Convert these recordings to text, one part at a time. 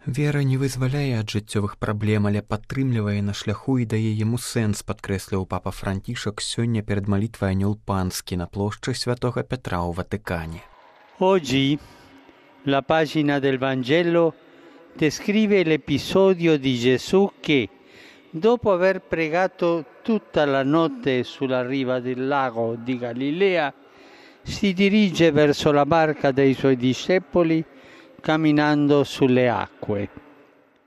Вера не вызваляе ад жыццёвых праблем, але падтрымлівае на шляху і дае яму сэнс, падкрэсліў папа Францішак сёння перад малітвай Анёл Панскі на плошчы Святога Петра ў Ватыкане. Oggi la pagina del Vangelo descrive l'episodio di Gesù che, dopo aver pregato tutta la notte sulla riva del lago di Galilea, si dirige verso la barca dei suoi discepoli camminando sulle acque.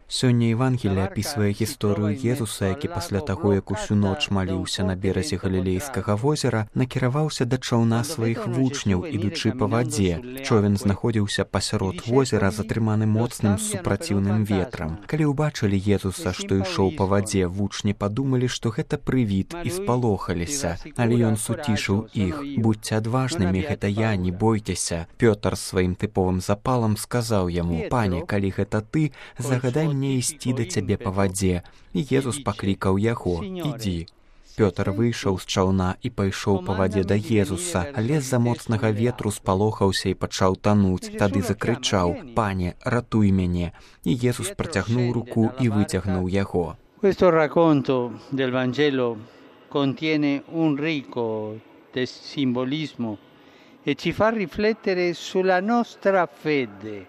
Сёння Евангелие апісвае гісторыю Езуса, які пасля таго, як усю ноч маліўся на беразе Галілейскага возера, накіраваўся да чаўна сваіх вучняў, ідучы па вадзе. Човен знаходзіўся пасярод возера, затрыманы моцным супраціўным ветрам. Калі ўбачылі Езуса, што ішоў па вадзе, вучні падумалі, што гэта прывід, і спалохаліся. Але ён суцішыў іх: «Будзьце адважнымі, гэта я, не бойцеся». Пётр сваім тыповым запалам сказаў яму: «Пане, калі гэта ты, загадай мне ісці да цябе па вадзе». І Езус паклікаў яго: «Ідзі». Пётр выйшаў з чаўна і пайшоў па вадзе да Езуса, але з-за моцнага ветру спалохаўся і пачаў тануць. Тады закрычаў: «Пане, ратуй мяне». І Езус працягнуў руку і выцягнуў яго. Questo racconto del Vangelo contiene un ricco simbolismo e ci fa riflettere sulla nostra fede.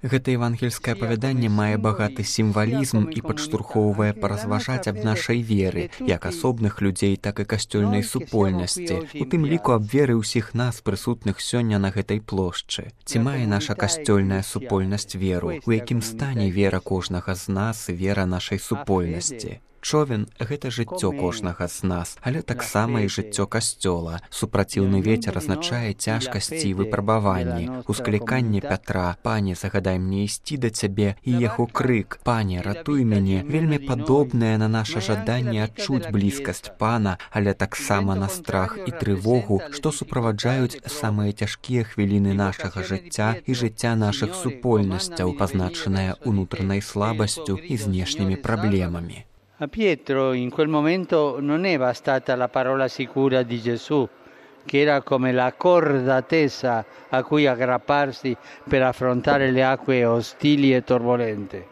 Гэта евангельскае апавяданне мае багаты сімвалізм і падштурхоўвае паразважаць аб нашай веры, як асобных людзей, так і касцёльнай супольнасці, у тым ліку аб веры ўсіх нас, прысутных сёння на гэтай плошчы. Ці мае наша касцёльная супольнасць веру? У якім стане вера кожнага з нас і вера нашай супольнасці? Човен – гэта жыццё кожнага з нас, але таксама і жыццё касцёла. Супраціўны вецер азначае цяжкасці і выпрабаванні. Ускліканне Пятра: «Пане, загадай мне ісці да цябе», і яго крык: «Пане, ратуй мяне», вельмі падобнае на наша жаданне адчуць блізкасць Пана, але таксама на страх і трывогу, што суправаджаюць самыя цяжкія хвіліны нашага жыцця і жыцця нашых супольнасцяў, пазначаныя унутранай слабасцю і знешнімі праблемамі. A Pietro in quel momento non è bastata la parola sicura di Gesù, che era come la corda tesa a cui aggrapparsi per affrontare le acque ostili e turbolente.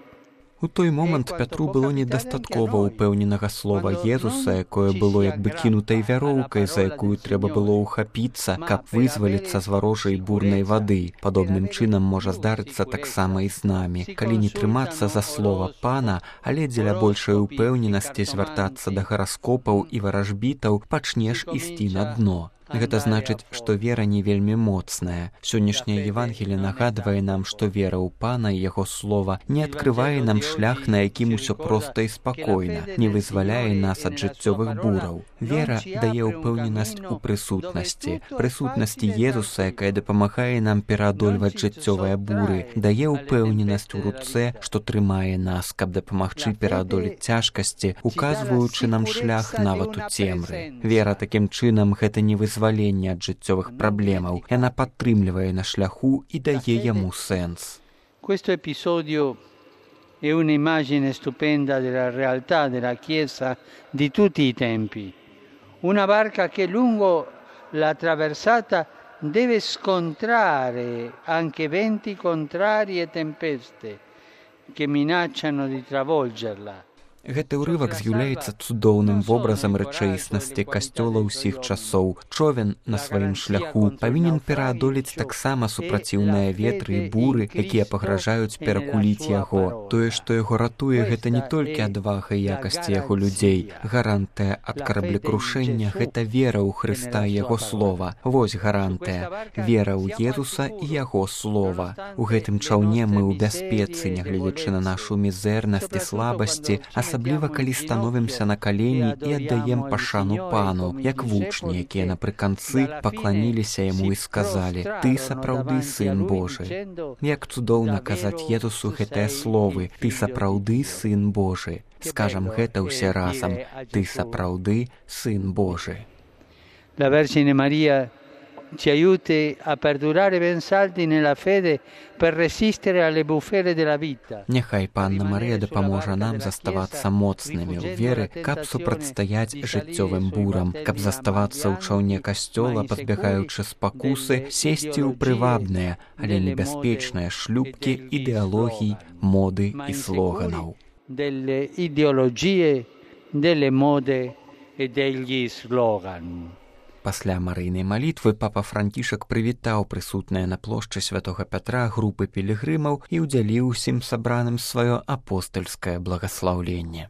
У той момант Пятру было недастаткова ўпэўненага слова Езуса, якое было як бы кінутай вяроўкай, за якую трэба было ўхапіцца, каб вызваліцца з варожай бурнай вады. Падобным чынам можа здарыцца таксама і з намі. Калі не трымацца за слова Пана, але дзеля большай упэўненасці звяртацца да гараскопаў і варажбітаў, пачнеш ісці на дно. Гэта значыць, што вера не вельмі моцная. Сённяшняе Евангелие нагадвае нам, што вера ў Пана і яго слова не адкрывае нам шлях, на якім усё проста і спакойна, не вызваляе нас ад жыццёвых бураў. Вера дае ўпэўненасць у прысутнасці Езуса, якая дапамагае нам пераадольваць жыццёвыя буры, дае ўпэўненасць у руцэ, што трымае нас, каб дапамагчы пераадолець цяжкасці, указваючы нам шлях нават у цемры. Вера такім чынам гэта не вызваляе ад жыццёвых праблемаў. Яна падтрымлівае на шляху і дае яму сэнс. Questo episodio è un'immagine stupenda della realtà della Chiesa di tutti i tempi. Una barca che lungo la traversata deve scontrare anche venti contrari e tempeste che minacciano di travolgerla. Гэты ўрывак з'яўляецца цудоўным вобразам рэчаіснасці касцёла ўсіх часоў. Човен на сваім шляху павінен пераадолець таксама супраціўныя ветры і буры, якія пагражаюць перакуліць яго. Тое, што яго ратуе, гэта не толькі адвага і якасці яго людзей. Гарантыя ад караблекрушэння – гэта вера ў Хрыста і яго слова. Вось гарантыя. Вера ў Езуса і яго слова. У гэтым чаўне мы ў бяспецы, нягледзячы на нашу мізэрнасць і слабасці, асабліва калі становімся на калені і аддаем пашану Пану, як вучні, якія напрыканцы пакланіліся яму і сказалі: «Ты сапраўды Сын Божы». Як цудоўна казаць Езусу гэтыя словы: «Ты сапраўды Сын Божы». Скажам гэта ўсе разам: «Ты сапраўды Сын Божы». La Vergine Maria ci aiuti a perdurare ben saldi nella fede per resistere alle bufere della vita. Няхай Панна Марыя дапаможа нам заставацца моцнымі ў веры, каб супрацьстаяць жыццёвым бурам, каб заставацца ў чаўне касцёла, пазбягаючы спакусы, сесці ў прывабныя, але небяспечныя шлюбкі ідэалогій, моды і слоганаў. Delle ideologie, delle mode e degli slogan. Пасля марыйнай малітвы папа Францішак прывітаў прысутныя на плошчы святога Пятра групы пілігрымаў і ўдзяліў усім сабраным сваё апостальскае благаслаўленне.